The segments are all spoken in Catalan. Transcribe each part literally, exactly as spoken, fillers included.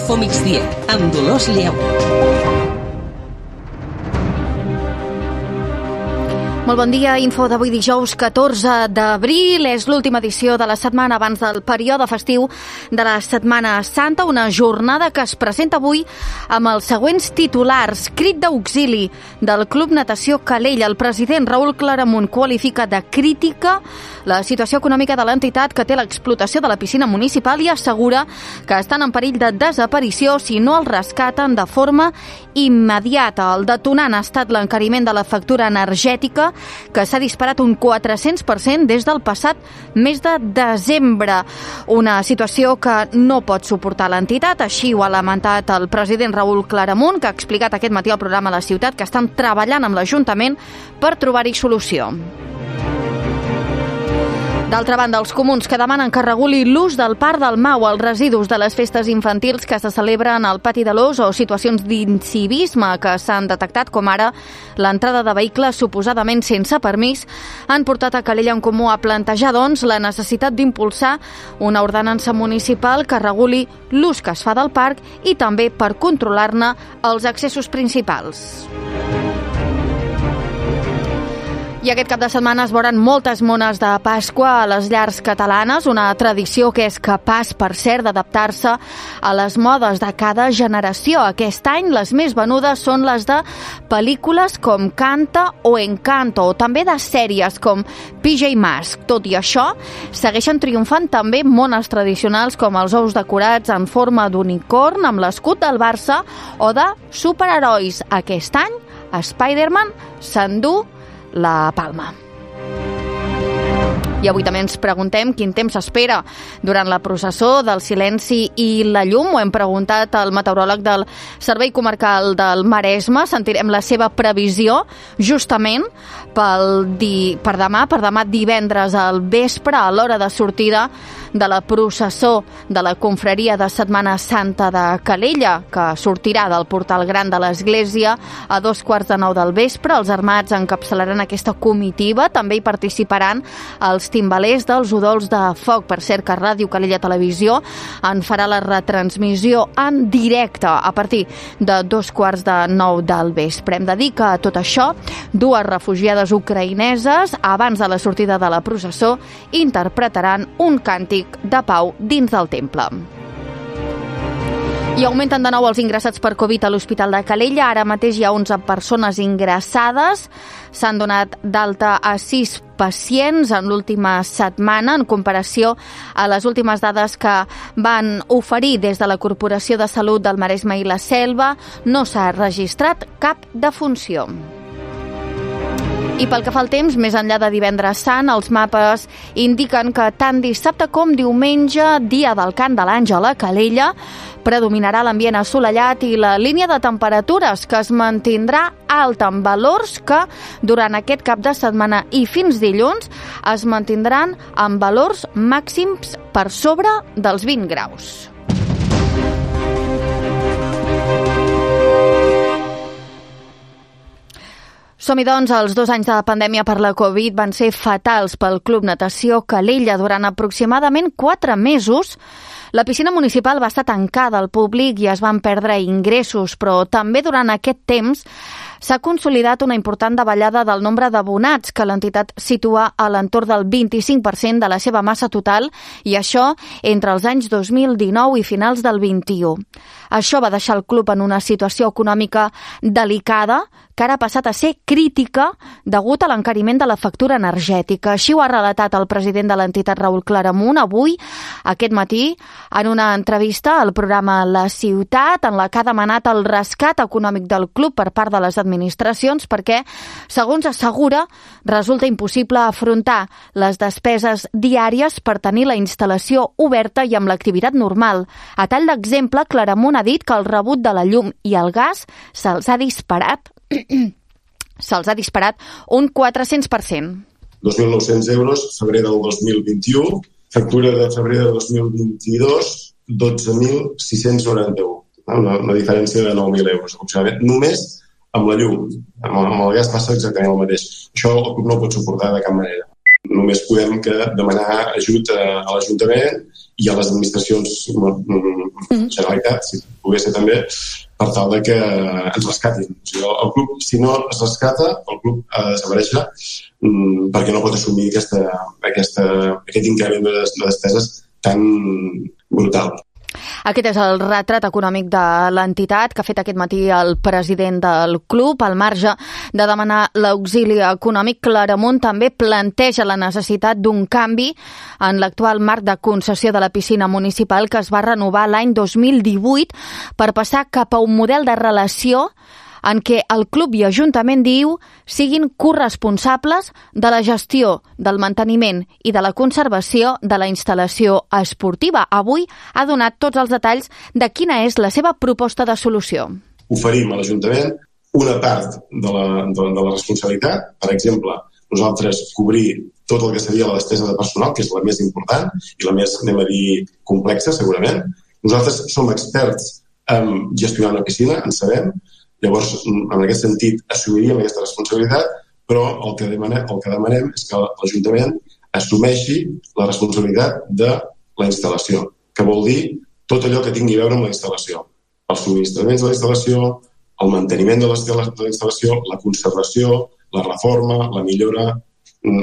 Info migdia, amb Dolors Lleu. Molt bon dia, info d'avui dijous catorze d'abril. És l'última edició de la setmana abans del període festiu de la Setmana Santa, una jornada que es presenta avui amb els següents titulars. Crit d'auxili del Club Natació Calella. El president Raül Claramunt qualifica de crítica la situació econòmica de l'entitat que té l'explotació de la piscina municipal i assegura que estan en perill de desaparició si no el rescaten de forma immediata. El detonant ha estat l'encariment de la factura energètica, que s'ha disparat un quatre-cents per cent des del passat mes de desembre. Una situació que no pot suportar l'entitat, així ho ha lamentat el president Raül Claramunt, que ha explicat aquest matí al programa La Ciutat que estan treballant amb l'Ajuntament per trobar-hi solució. D'altra banda, els comuns que demanen que reguli l'ús del Parc del Mau als residus de les festes infantils que se celebren al Pati de l'Ós o situacions d'incivisme que s'han detectat, com ara l'entrada de vehicles suposadament sense permís, han portat a Calella en Comú a plantejar, doncs, la necessitat d'impulsar una ordenança municipal que reguli l'ús que es fa del parc i també per controlar-ne els accessos principals. I aquest cap de setmana es veuran moltes mones de Pasqua a les llars catalanes, una tradició que és capaç, per cert, d'adaptar-se a les modes de cada generació. Aquest any les més venudes són les de pel·lícules com Canta o Encanto, o també de sèries com P J Masks. Tot i això, segueixen triomfant també mones tradicionals com els ous decorats en forma d'unicorn amb l'escut del Barça o de superherois. Aquest any, Spider-Man s'endú la palma. I avui també ens preguntem quin temps s'espera durant la processó del silenci i la llum. Ho hem preguntat al meteoròleg del Servei Comarcal del Maresme. Sentirem la seva previsió justament pel di... per demà, per demà divendres al vespre, a l'hora de sortida de la processó de la confraria de Setmana Santa de Calella, que sortirà del portal gran de l'església a dos quarts de nou del vespre. Els armats encapçalaran aquesta comitiva. També hi participaran els timbalers dels udols de foc. Per cert, que Ràdio Calella Televisió en farà la retransmissió en directe a partir de dos quarts de nou del vespre. Hem de dir que a tot això, dues refugiades ucraïneses, abans de la sortida de la processó, interpretaran un càntic de pau dins del temple. I augmenten de nou els ingressats per Covid a l'Hospital de Calella. Ara mateix hi ha onze persones ingressades. S'han donat d'alta a sis pacients en l'última setmana, en comparació a les últimes dades que van oferir des de la Corporació de Salut del Maresme i la Selva. No s'ha registrat cap defunció. I pel que fa al temps, més enllà de divendres sant, els mapes indiquen que tant dissabte com diumenge, dia del Cant de l'Àngel a Calella, predominarà l'ambient assolellat i la línia de temperatures que es mantindrà alta, amb valors que durant aquest cap de setmana i fins dilluns es mantindran amb valors màxims per sobre dels vint graus. Som-hi, doncs. Els dos anys de pandèmia per la Covid van ser fatals pel Club Natació Calella. Durant aproximadament quatre mesos, la piscina municipal va estar tancada al públic i es van perdre ingressos, però també durant aquest temps s'ha consolidat una important davallada del nombre d'abonats, que l'entitat situa a l'entorn del vint-i-cinc per cent de la seva massa total, i això entre els anys dos mil dinou i finals del vint-i-u. Això va deixar el club en una situació econòmica delicada, que ara ha passat a ser crítica degut a l'encariment de la factura energètica. Així ho ha relatat el president de l'entitat, Raül Claramunt, avui, aquest matí, en una entrevista al programa La Ciutat, en la que ha demanat el rescat econòmic del club per part de les administracions perquè, segons assegura, resulta impossible afrontar les despeses diàries per tenir la instal·lació oberta i amb l'activitat normal. A tall d'exemple, Claramunt ha dit que el rebut de la llum i el gas se'ls ha disparat se'ls ha disparat un quatre-cents per cent. dos mil nou-cents euros, febrer del dos mil vint-i-u, factura de febrer de dos mil vint-i-dos, dotze mil sis-cents noranta-u. Una, una diferència de nou mil euros, aproximadament, només amb la llum. Amb el, amb el gas passa exactament el mateix. Això el club no ho pot suportar de cap manera. Només podem que demanar ajut a, a l'Ajuntament i a les administracions mm. Generalitat, si pogués ser també, per tal de que ens rescatin. O sigui, el, el club, si no es rescata, el club ha de desaparèixer mm, perquè no pot assumir aquesta, aquesta, aquest increment de despeses tan brutal. Aquest és el retrat econòmic de l'entitat que ha fet aquest matí el president del club. Al marge de demanar l'auxili econòmic, Claramunt també planteja la necessitat d'un canvi en l'actual marc de concessió de la piscina municipal que es va renovar l'any dos mil divuit per passar cap a un model de relació en què el club i Ajuntament, diu, siguin corresponsables de la gestió, del manteniment i de la conservació de la instal·lació esportiva. Avui ha donat tots els detalls de quina és la seva proposta de solució. Oferim a l'Ajuntament una part de la, de, de la responsabilitat. Per exemple, nosaltres cobrir tot el que seria la despesa de personal, que és la més important i la més, anem a dir, complexa, segurament. Nosaltres som experts en gestionar una piscina, en sabem. Llavors, en aquest sentit, assumiríem aquesta responsabilitat, però el que demanem, el que demanem és que l'Ajuntament assumeixi la responsabilitat de la instal·lació, que vol dir tot allò que tingui a veure amb la instal·lació. Els subministraments de la instal·lació, el manteniment de la instal·lació, la conservació, la reforma, la millora.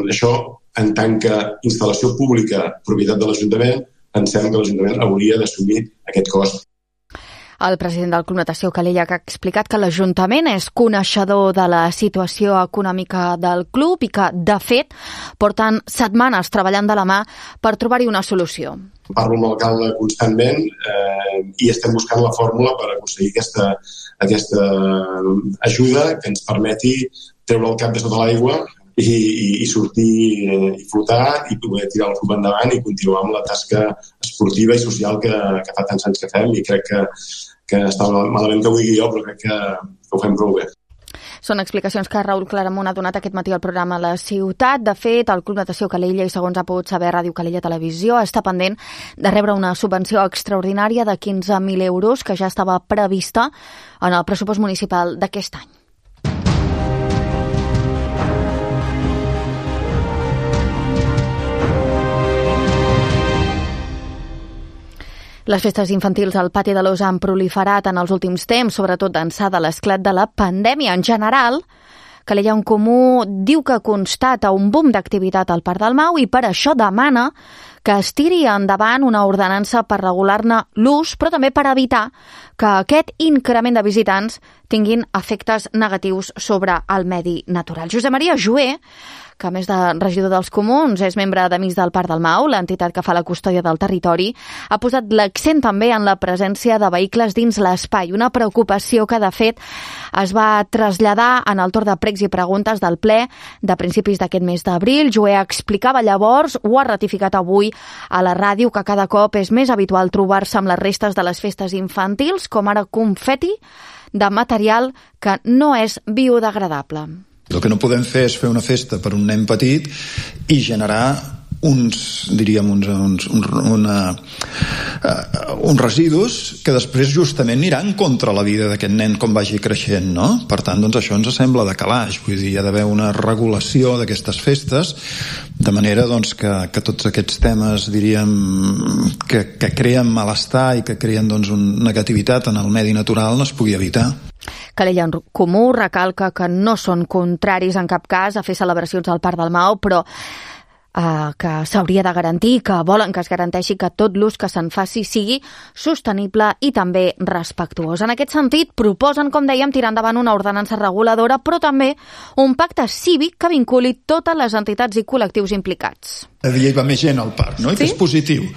Això, en tant que instal·lació pública, propietat de l'Ajuntament, pensem que l'Ajuntament hauria d'assumir aquest cost. El president del Club Natació Calella que ha explicat que l'Ajuntament és coneixedor de la situació econòmica del club i que, de fet, porten setmanes treballant de la mà per trobar-hi una solució. Parlo amb l'alcalde constantment eh, i estem buscant la fórmula per aconseguir aquesta, aquesta ajuda que ens permeti treure el cap de sota l'aigua i, i, i sortir eh, i flotar i poder tirar el club endavant i continuar amb la tasca esportiva i social que, que fa tants anys que fem, i crec que que està malament que ho digui jo, però crec que, que ho fem prou bé. Són explicacions que Raül Claramunt ha donat aquest matí al programa La Ciutat. De fet, el Club Natació Calella, i segons ha pogut saber Ràdio Calella Televisió, està pendent de rebre una subvenció extraordinària de quinze mil euros que ja estava prevista en el pressupost municipal d'aquest any. Les festes infantils al Pati de l'Ós han proliferat en els últims temps, sobretot d'ençà de l'esclat de la pandèmia. En general, Calella en Comú diu que constata un boom d'activitat al Parc del Mau i per això demana que es tiri endavant una ordenança per regular-ne l'ús, però també per evitar que aquest increment de visitants tinguin efectes negatius sobre el medi natural. Josep Maria Joé, que a més de regidor dels Comuns és membre d'Amics del Parc del Mau, l'entitat que fa la custòdia del territori, ha posat l'accent també en la presència de vehicles dins l'espai, una preocupació que de fet es va traslladar en el torn de pregs i preguntes del ple de principis d'aquest mes d'abril. Joé explicava llavors, ho ha ratificat avui a la ràdio, que cada cop és més habitual trobar-se amb les restes de les festes infantils, com ara confeti de material que no és biodegradable. El que no podem fer és fer una festa per un nen petit i generar uns, diríem, uns, uns, uns, una, uh, uns residus que després justament aniran contra la vida d'aquest nen com vagi creixent, no? Per tant, doncs això ens sembla de calaix, vull dir, hi ha d'haver una regulació d'aquestes festes, de manera doncs, que, que tots aquests temes, diríem, que, que creen malestar i que creen doncs, una negativitat en el medi natural no es pugui evitar. Calella en Comú recalca que no són contraris en cap cas a fer celebracions al Parc del Mau, però eh, que s'hauria de garantir, que volen que es garanteixi que tot l'ús que se'n faci sigui sostenible i també respectuós. En aquest sentit, proposen, com dèiem, tirar endavant una ordenança reguladora, però també un pacte cívic que vinculi totes les entitats i col·lectius implicats. Cada dia hi va més gent al parc, no? I sí? Que és positiu.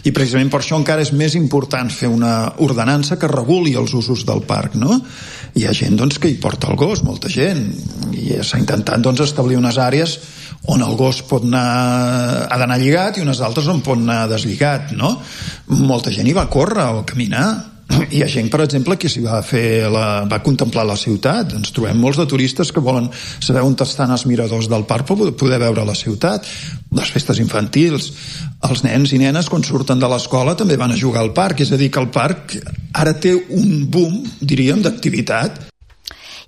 I precisament per això encara és més important fer una ordenança que reguli els usos del parc, no? Hi ha gent doncs, que hi porta el gos, molta gent, i s'ha intentat doncs, establir unes àrees on el gos pot anar, ha d'anar lligat i unes altres on pot anar deslligat, no? Molta gent hi va córrer o caminar. Hi ha gent, per exemple, que s'hi va fer la, va contemplar la ciutat. Ens trobem molts de turistes que volen saber on estan els miradors del parc per poder veure la ciutat. Les festes infantils, els nens i nenes quan surten de l'escola també van a jugar al parc, és a dir que el parc ara té un boom, diríem, d'activitat.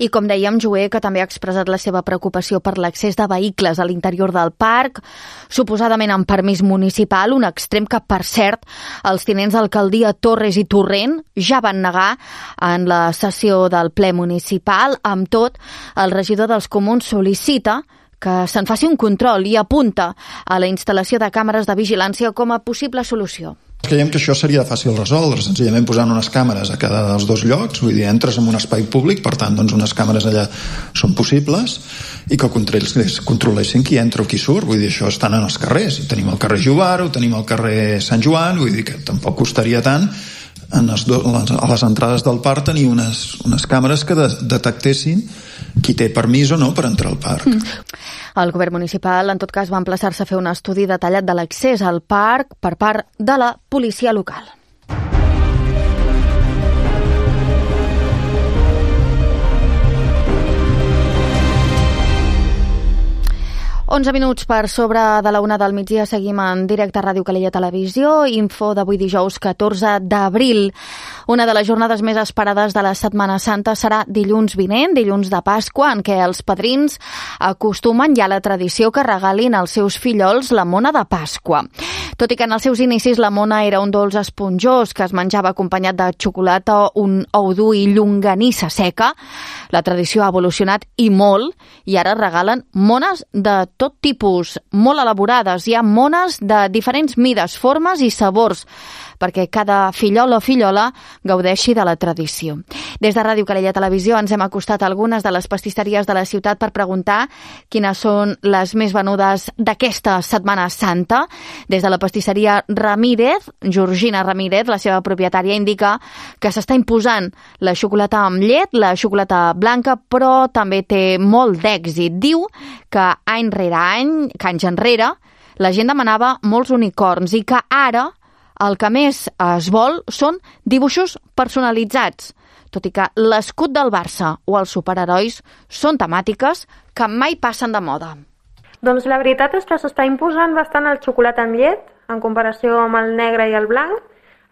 I com dèiem, Joé, que també ha expressat la seva preocupació per l'accés de vehicles a l'interior del parc, suposadament amb permís municipal, un extrem que, per cert, els tinents d'alcaldia Torres i Torrent ja van negar en la sessió del ple municipal. Amb tot, el regidor dels Comuns sol·licita que se'n faci un control i apunta a la instal·lació de càmeres de vigilància com a possible solució. Creiem que això seria fàcil resoldre, senzillament posant unes càmeres a cada dels dos llocs, vull dir, entres en un espai públic, per tant, doncs unes càmeres allà són possibles, i que controlessin qui entra o qui surt, vull dir, això estan en els carrers, i tenim el carrer Jovaro, tenim el carrer Sant Joan, vull dir que tampoc costaria tant en les do, a les entrades del parc tenir unes, unes càmeres que de, detectessin qui té permís o no per entrar al parc. Mm. El govern municipal, en tot cas, va emplaçar-se a fer un estudi detallat de l'accés al parc per part de la policia local. onze minuts per sobre de la una del migdia, seguim en directe a Ràdio Calella Televisió. Info d'avui dijous catorze d'abril. Una de les jornades més esperades de la Setmana Santa serà dilluns vinent, dilluns de Pasqua, en què els padrins acostumen ja a la tradició que regalin als seus fillols la mona de Pasqua. Tot i que en els seus inicis la mona era un dolç esponjós que es menjava acompanyat de xocolata, un ou dur i llonganissa seca, la tradició ha evolucionat i molt, i ara regalen mones de tot tipus, molt elaborades. Hi ha mones de diferents mides, formes i sabors, perquè cada fillol o fillola gaudeixi de la tradició. Des de Ràdio Calella Televisió ens hem acostat a algunes de les pastisseries de la ciutat per preguntar quines són les més venudes d'aquesta Setmana Santa. Des de la pastisseria Ramírez, Georgina Ramírez, la seva propietària, indica que s'està imposant la xocolata amb llet, la xocolata blanca, però també té molt d'èxit. Diu que any rere any, que anys enrere, la gent demanava molts unicorns i que ara el que més es vol són dibuixos personalitzats, tot i que l'escut del Barça o els superherois són temàtiques que mai passen de moda. Doncs la veritat és que s'està imposant bastant el xocolata amb llet en comparació amb el negre i el blanc.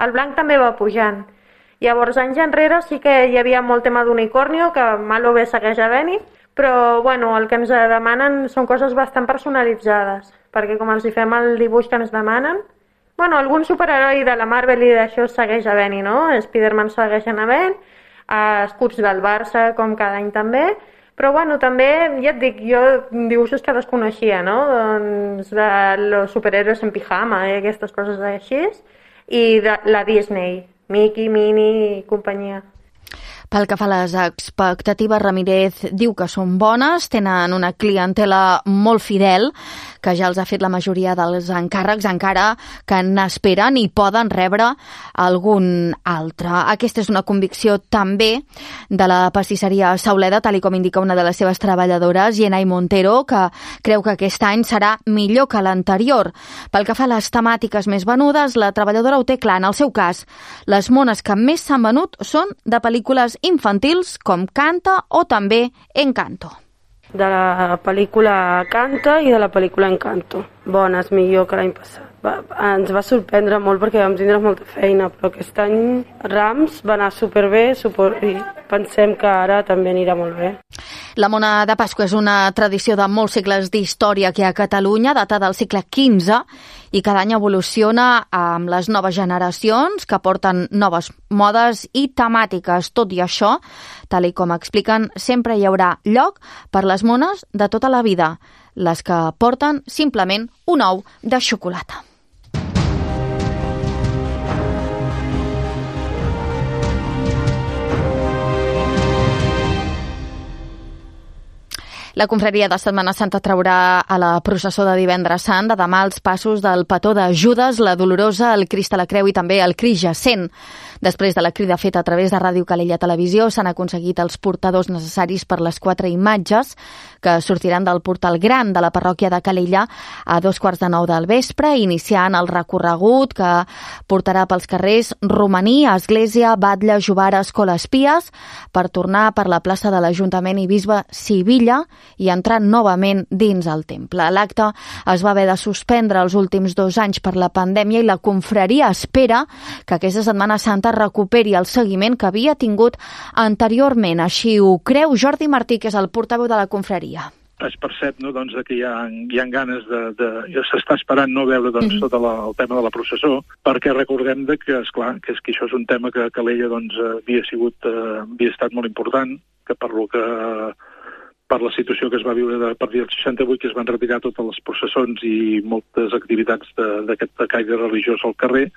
El blanc també va pujant. Llavors, anys enrere sí que hi havia molt tema d'unicornio, que mal o bé segueix havent-hi, però bueno, el que ens demanen són coses bastant personalitzades, perquè com els hi fem el dibuix que ens demanen, bueno, algun superheroi de la Marvel i d'això segueix havent-hi, no? Spider-Man segueix havent, escuts del Barça, com cada any també, però bueno, també, ja et dic, jo dibuixos que desconeixia, no? Doncs de los superhéroes en pijama i aquestes coses així, i de la Disney, Mickey, Minnie i companyia. Pel que fa a les expectatives, Ramírez diu que són bones, tenen una clientela molt fidel, que ja els ha fet la majoria dels encàrrecs, encara que n'esperen i poden rebre algun altre. Aquesta és una convicció també de la pastisseria Sauleda, tal com indica una de les seves treballadores, Yenay Montero, que creu que aquest any serà millor que l'anterior. Pel que fa a les temàtiques més venudes, la treballadora ho té clar. En el seu cas, les mones que més s'han venut són de pel·lícules infantils com Canta o també Encanto. De la pel·lícula Canta i de la pel·lícula Encanto. Bones, millor que l'any passat. Va, ens va sorprendre molt perquè vam tindre molta feina, però aquest any Rams va anar superbé i pensem que ara també anirà molt bé. La mona de Pasqua és una tradició de molts segles d'història que a Catalunya data del segle quinze i cada any evoluciona amb les noves generacions que porten noves modes i temàtiques. Tot i això, tal i com expliquen, sempre hi haurà lloc per les mones de tota la vida, les que porten simplement un ou de xocolata. La confraria de Setmana Santa traurà a la processó de divendres sant de demà els passos del petó de Judes, la Dolorosa, el Crist a la Creu i també el Crist Jacent. Després de la crida feta a través de Ràdio Calella Televisió, s'han aconseguit els portadors necessaris per les quatre imatges que sortiran del portal gran de la parròquia de Calella a dos quarts de nou del vespre, iniciant el recorregut que portarà pels carrers Romaní, Església, Batlle, Jovara, Escola Espies, per tornar per la plaça de l'Ajuntament i Bisbe Sivilla i entrar novament dins el temple. L'acte es va haver de suspendre els últims dos anys per la pandèmia i la confraria espera que aquesta Setmana Santa recuperi el seguiment que havia tingut anteriorment. Així ho creu Jordi Martí, que és el portaveu de la confraria. Es percep, no, doncs, que hi ha, hi ha ganes de... de s'està esperant no veure doncs, tot la, el tema de la processó, perquè recordem de que, esclar, que, és que això és un tema que a Calella doncs, havia, sigut, eh, havia estat molt important, que per lo que per la situació que es va viure a partir del seixanta-vuit, que es van retirar totes les processons i moltes activitats d'aquest caire religiós al carrer,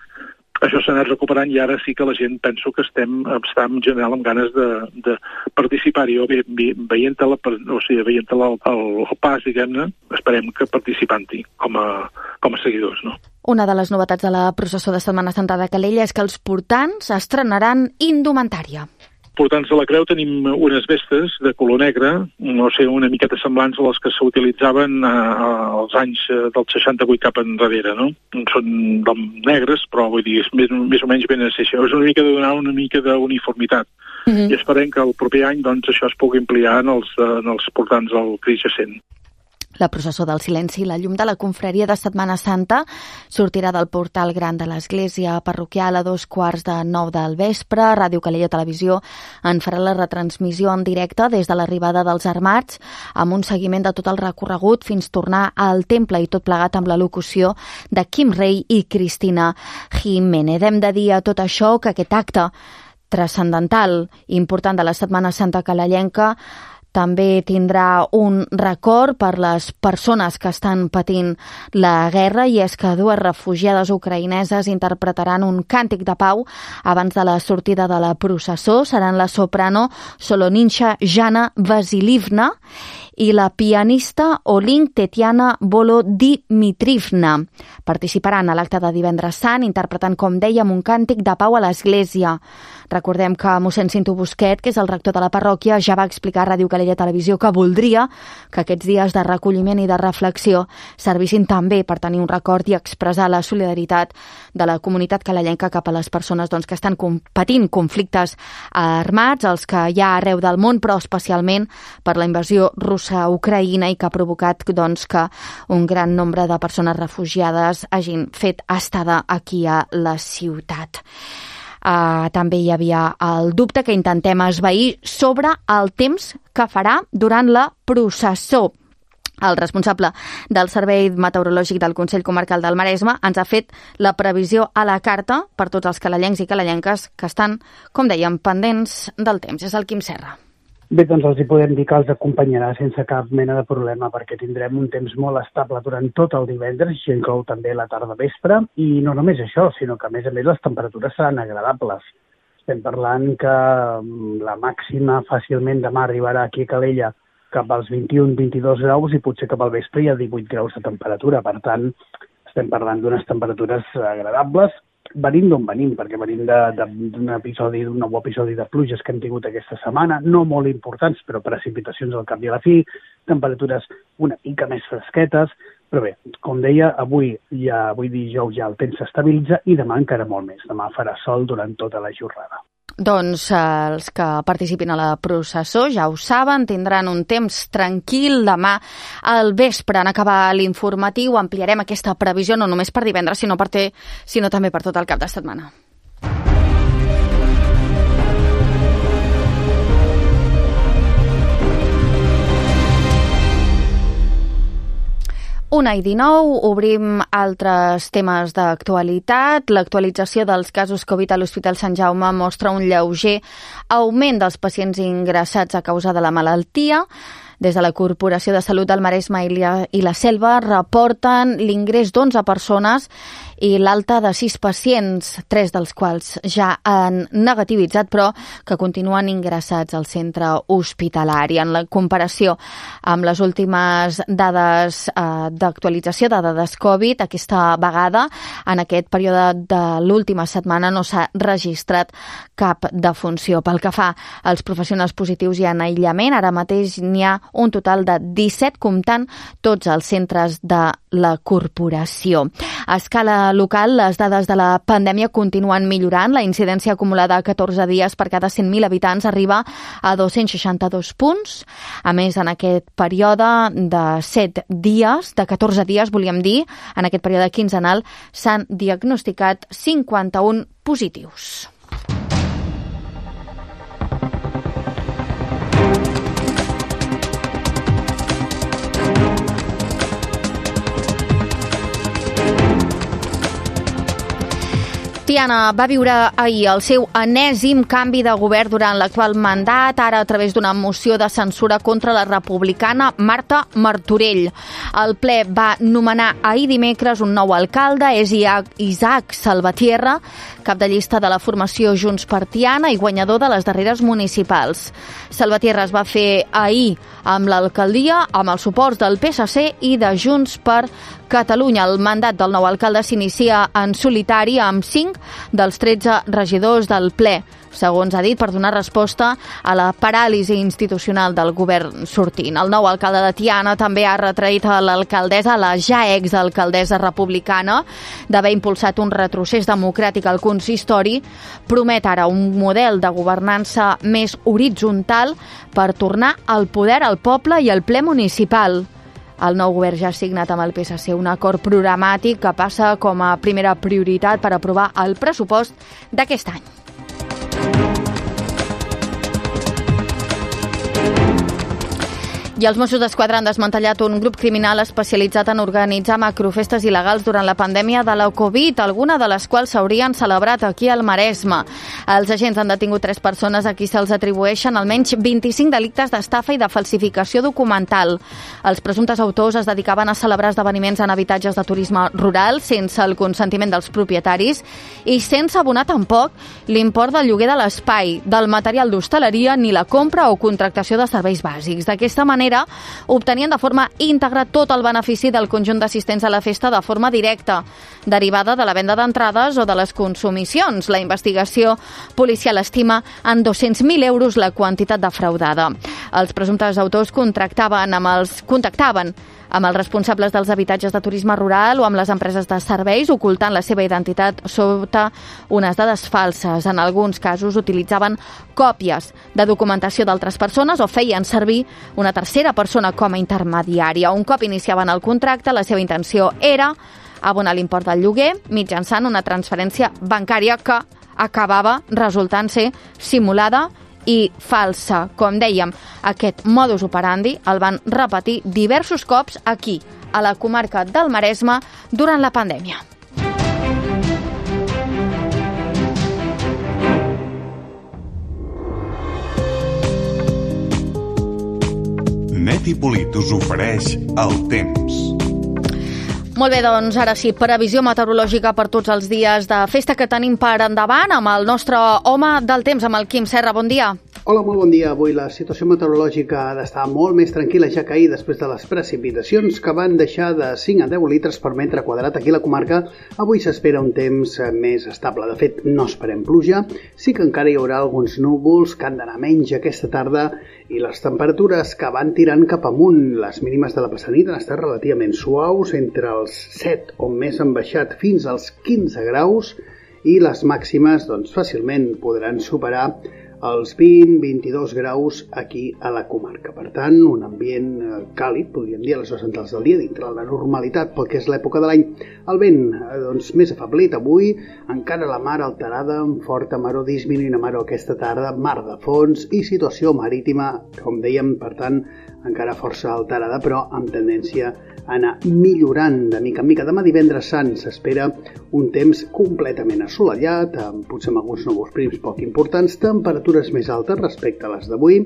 això s'ha anat recuperant i ara sí que la gent penso que estem, estem en general amb ganes de, de participar-hi. O veient-la, o sigui, veient-la el, el, el pas, diguem-ne, esperem que participant-hi com a, com a seguidors, no? Una de les novetats de la processó de Setmana Santa de Calella és que els portants estrenaran indumentària. Portants de la Creu tenim unes vestes de color negre, no sé, una miqueta semblants a les que s'utilitzaven als anys del seixanta-vuit cap enrere, no? Són negres, però vull dir, és més, més o menys ben això. És una mica de donar una mica d'uniformitat. Mm-hmm. I esperem que el proper any doncs, això es pugui ampliar en els, en els portants del Crist Jacent. La processó del silenci i la llum de la confraria de Setmana Santa sortirà del portal gran de l'església parroquial a dos quarts de nou del vespre. Ràdio Calella Televisió en farà la retransmissió en directe des de l'arribada dels armats, amb un seguiment de tot el recorregut fins tornar al temple, i tot plegat amb la locució de Quim Rei i Cristina Jiménez. Hem de dir a tot això que aquest acte transcendental i important de la Setmana Santa calellenca també tindrà un record per les persones que estan patint la guerra, i és que dues refugiades ucraïneses interpretaran un càntic de pau abans de la sortida de la processó. Seran la soprano Soloninsha Jana Vasilivna i la pianista Olink Tetiana Volodimitrivna. Participaran a l'acte de divendres sant interpretant, com dèiem, un càntic de pau a l'església. Recordem que mossèn Cinto Busquet, que és el rector de la parròquia, ja va explicar a Ràdio Calella Televisió que voldria que aquests dies de recolliment i de reflexió servissin també per tenir un record i expressar la solidaritat de la comunitat calellenca cap a les persones doncs, que estan patint conflictes armats, els que hi ha arreu del món, però especialment per la invasió russa a Ucraïna, i que ha provocat doncs, que un gran nombre de persones refugiades hagin fet estada aquí a la ciutat. Uh, també hi havia el dubte que intentem esvair sobre el temps que farà durant la processó. El responsable del Servei Meteorològic del Consell Comarcal del Maresme ens ha fet la previsió a la carta per tots els calellencs i calellenques que estan, com dèiem, pendents del temps. És el Quim Serra. Bé, doncs els hi podem dir que els acompanyarà sense cap mena de problema, perquè tindrem un temps molt estable durant tot el divendres, i inclou també la tarda vespre, i no només això, sinó que a més a més les temperatures seran agradables. Estem parlant que la màxima fàcilment demà arribarà aquí a Calella cap als vint-i-un vint-i-dos graus, i potser cap al vespre hi ha divuit graus de temperatura. Per tant, estem parlant d'unes temperatures agradables, venint d'on venim, perquè venim d'un episodi, d'un nou episodi de pluges que hem tingut aquesta setmana, no molt importants, però precipitacions al cap i a la fi, temperatures una mica més fresquetes, però bé, com deia, avui, ja, avui dijous ja el temps s'estabilitza, i demà encara molt més. Demà farà sol durant tota la jornada. Doncs eh, els que participin a la processó ja ho saben, tindran un temps tranquil. Demà al vespre, en acabar l'informatiu, ampliarem aquesta previsió no només per divendres, sinó, per te, sinó també per tot el cap de setmana. Una i dinou, obrim altres temes d'actualitat. L'actualització dels casos Covid a l'Hospital Sant Jaume mostra un lleuger augment dels pacients ingressats a causa de la malaltia. Des de la Corporació de Salut del Maresme i la Selva reporten l'ingrés d'onze persones i l'alta de sis pacients, tres dels quals ja han negativitzat, però que continuen ingressats al centre hospitalari. En la comparació amb les últimes dades eh, d'actualització de dades Covid, aquesta vegada, en aquest període de l'última setmana, no s'ha registrat cap defunció. Pel que fa als professionals positius i en aïllament, ara mateix n'hi ha un total de disset, comptant tots els centres de la corporació. A escala local, les dades de la pandèmia continuen millorant. La incidència acumulada a catorze dies per cada cent mil habitants arriba a dos-cents seixanta-dos punts. A més, en aquest període de set dies, de catorze dies, volíem dir, en aquest període quinzenal, s'han diagnosticat cinquanta-un positius. Tiana va viure ahir el seu enèsim canvi de govern durant l'actual mandat, ara a través d'una moció de censura contra la republicana Marta Martorell. El ple va nomenar ahir dimecres un nou alcalde, és Isaac Salvatierra, cap de llista de la formació Junts per Tiana i guanyador de les darreres municipals. Salvatierra es va fer ahir amb l'alcaldia, amb el suport del P S C i de Junts per Catalunya. El mandat del nou alcalde s'inicia en solitari amb cinc dels tretze regidors del ple, segons ha dit, per donar resposta a la paràlisi institucional del govern sortint. El nou alcalde de Tiana també ha retraït a l'alcaldessa, la ja exalcaldessa republicana, d'haver impulsat un retrocés democràtic al consistori. Promet ara un model de governança més horitzontal per tornar al poder al poble i al ple municipal. El nou govern ja ha signat amb el P S C un acord programàtic que passa com a primera prioritat per aprovar el pressupost d'aquest any. I els Mossos d'Esquadra han desmantellat un grup criminal especialitzat en organitzar macrofestes il·legals durant la pandèmia de la Covid, alguna de les quals s'haurien celebrat aquí al Maresme. Els agents han detingut tres persones a qui se'ls atribueixen almenys vint-i-cinc delictes d'estafa i de falsificació documental. Els presumptes autors es dedicaven a celebrar esdeveniments en habitatges de turisme rural sense el consentiment dels propietaris i sense abonar tampoc l'import del lloguer de l'espai, del material d'hostaleria ni la compra o contractació de serveis bàsics. D'aquesta manera obtenien de forma íntegra tot el benefici del conjunt d'assistents a la festa de forma directa, derivada de la venda d'entrades o de les consumicions. La investigació policial estima en dos-cents mil euros la quantitat defraudada. Els presumptes autors contractaven amb els, contactaven amb els responsables dels habitatges de turisme rural o amb les empreses de serveis, ocultant la seva identitat sota unes dades falses. En alguns casos utilitzaven còpies de documentació d'altres persones o feien servir una tercera persona com a intermediària. Un cop iniciaven el contracte, la seva intenció era abonar l'import del lloguer mitjançant una transferència bancària que acabava resultant ser simulada i falsa. Com dèiem, aquest modus operandi el van repetir diversos cops aquí, a la comarca del Maresme, durant la pandèmia. Net i Polit us ofereix el temps. Molt bé, doncs ara sí, previsió meteorològica per tots els dies de festa que tenim per endavant amb el nostre home del temps, amb el Quim Serra. Bon dia. Hola, molt bon dia. Avui la situació meteorològica ha d'estar molt més tranquil·la, ja que ahir, després de les precipitacions que van deixar de cinc a deu litres per metre quadrat aquí a la comarca, avui s'espera un temps més estable. De fet, no esperem pluja, sí que encara hi haurà alguns núvols que han d'anar menys aquesta tarda i les temperatures que van tirant cap amunt. Les mínimes de la passada nit han estat relativament suaus, entre els set o més han baixat fins als quinze graus i les màximes doncs, fàcilment podran superar els vint a vint-i-dos graus aquí a la comarca. Per tant, un ambient càlid, podríem dir, a les hores centrals del dia, dintre de la normalitat pel que és l'època de l'any. El vent, doncs, més afeblit avui, encara la mar alterada, amb forta maró disminuint a maró aquesta tarda, mar de fons i situació marítima, com dèiem, per tant, encara força alterada, però amb tendència a anar millorant de mica en mica. Demà divendres sant s'espera un temps completament assolellat, amb potser amb alguns núvols prims poc importants, temperatures més altes respecte a les d'avui,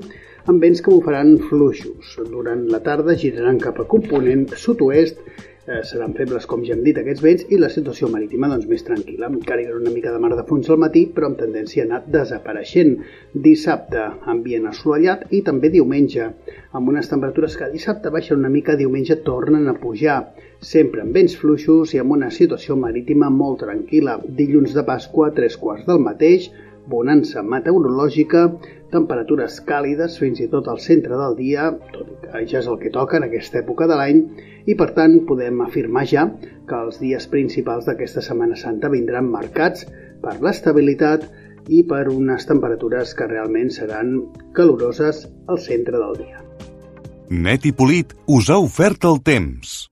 amb vents que bufaran fluixos. Durant la tarda giraran cap a component sud-oest, eh, seran febles, com ja hem dit, aquests vents, i la situació marítima doncs, més tranquil·la. Encara hi haurà una mica de mar de fons al matí, però amb tendència a anar desapareixent. Dissabte, ambient assolellat, i també diumenge, amb unes temperatures que dissabte baixen una mica, diumenge tornen a pujar, sempre amb vents fluixos i amb una situació marítima molt tranquil·la. Dilluns de Pasqua, tres quarts del mateix, bonança meteorològica, temperatures càlides fins i tot al centre del dia, tot i que ja és el que toca en aquesta època de l'any, i per tant podem afirmar ja que els dies principals d'aquesta Setmana Santa vindran marcats per l'estabilitat i per unes temperatures que realment seran caloroses al centre del dia. Net i Polit us ha ofert el temps.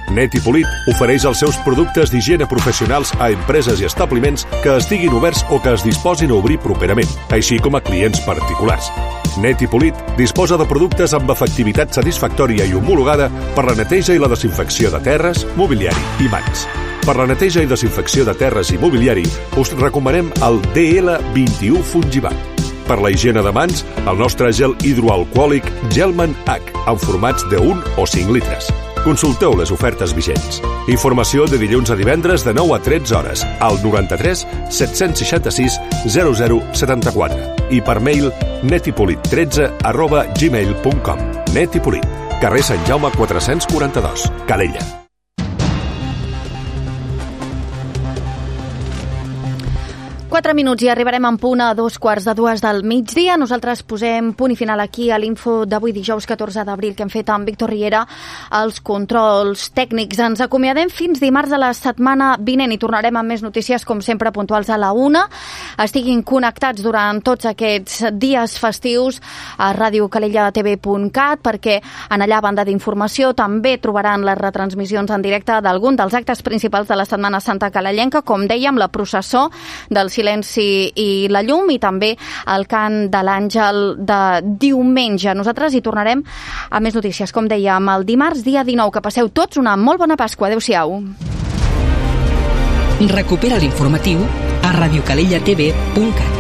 Net i Polit ofereix els seus productes d'higiene professionals a empreses i establiments que estiguin oberts o que es disposin a obrir properament, així com a clients particulars. Net i Polit disposa de productes amb efectivitat satisfactòria i homologada per la neteja i la desinfecció de terres, mobiliari i mans. Per la neteja i desinfecció de terres i mobiliari us recomanem el D L vint-i-u Fungibat. Per la higiene de mans, el nostre gel hidroalcohòlic Gelman H, en formats de un o cinc litres. Consulteu les ofertes vigents. Informació de dilluns a divendres de nou a tretze hores al noranta-tres set-cents seixanta-sis zero zero setanta-quatre i per mail netipolit tretze arroba gmail punt com. Net i Polit, carrer Sant Jaume quatre-cents quaranta-dos, Calella. Quatre minuts i arribarem en punt a dos quarts de dues del migdia. Nosaltres posem punt i final aquí a l'info d'avui dijous catorze d'abril que hem fet amb Víctor Riera els controls tècnics. Ens acomiadem fins dimarts de la setmana vinent i tornarem amb més notícies com sempre puntuals a la una. Estiguin connectats durant tots aquests dies festius a ràdio calella t v punt cat perquè en allà, a banda d'informació, també trobaran les retransmissions en directe d'algun dels actes principals de la Setmana Santa calellenca, com dèiem, la processó del Silenci i la Llum i també el cant de l'Àngel de diumenge. Nosaltres hi tornarem a més notícies, com dèiem, el dimarts, dia dinou. Que passeu tots una molt bona Pasqua. Adéu-siau. Recupera l'informatiu a radiocalella t v punt cat.